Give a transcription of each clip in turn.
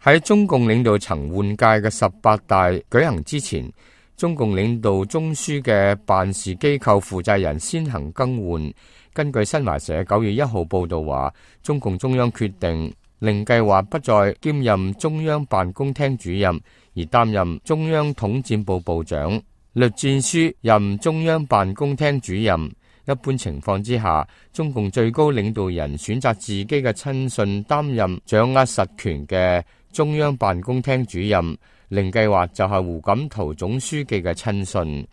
喺中共領導層換屆嘅18大舉行之前，中共領導中樞嘅辦事機構負責人先行更換。根據新華社9月1號報道話，中共中央決定令計劃不再兼任中央辦公廳主任，而擔任中央統戰部部長，栗戰書任中央辦公廳主任。一般情況之下，中共最高領導人選擇自己嘅親信擔任掌握實權嘅中央辦公廳主任，令計劃就係胡錦濤總書記嘅親信。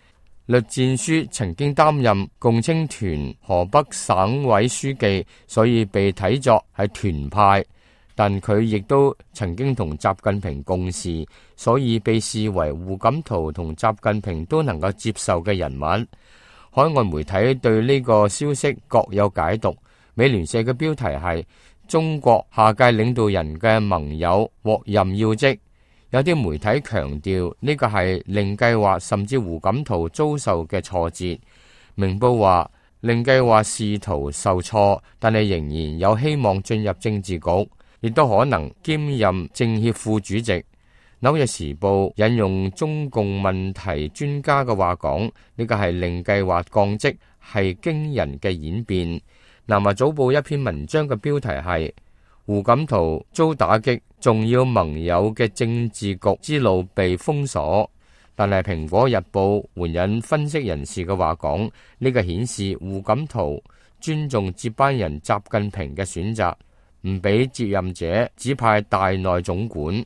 栗戰書曾經擔任共青團河北省委書記，所以被睇作係團派，但佢亦都曾經同習近平共事，所以被視為胡錦濤同習近平都能夠接受嘅人物。海外媒體對呢個消息各有解讀。美聯社嘅標題係中國下屆領導人嘅盟友獲任要職，有啲媒體強調呢個係令計劃甚至胡錦濤遭受嘅挫折。明報話令計劃仕途受挫，但係仍然有希望進入政治局，亦都可能兼任政協副主席。紐約時報引用中共問題專家嘅話講，呢個係令計劃降職係驚人嘅演變。南華早報一篇文章嘅標題係胡錦濤遭打擊，重要盟友嘅政治局之路被封鎖。但係蘋果日報援引分析人士嘅話講，呢個顯示胡錦濤尊重接班人習近平嘅選擇，唔俾接任者指派大內總管。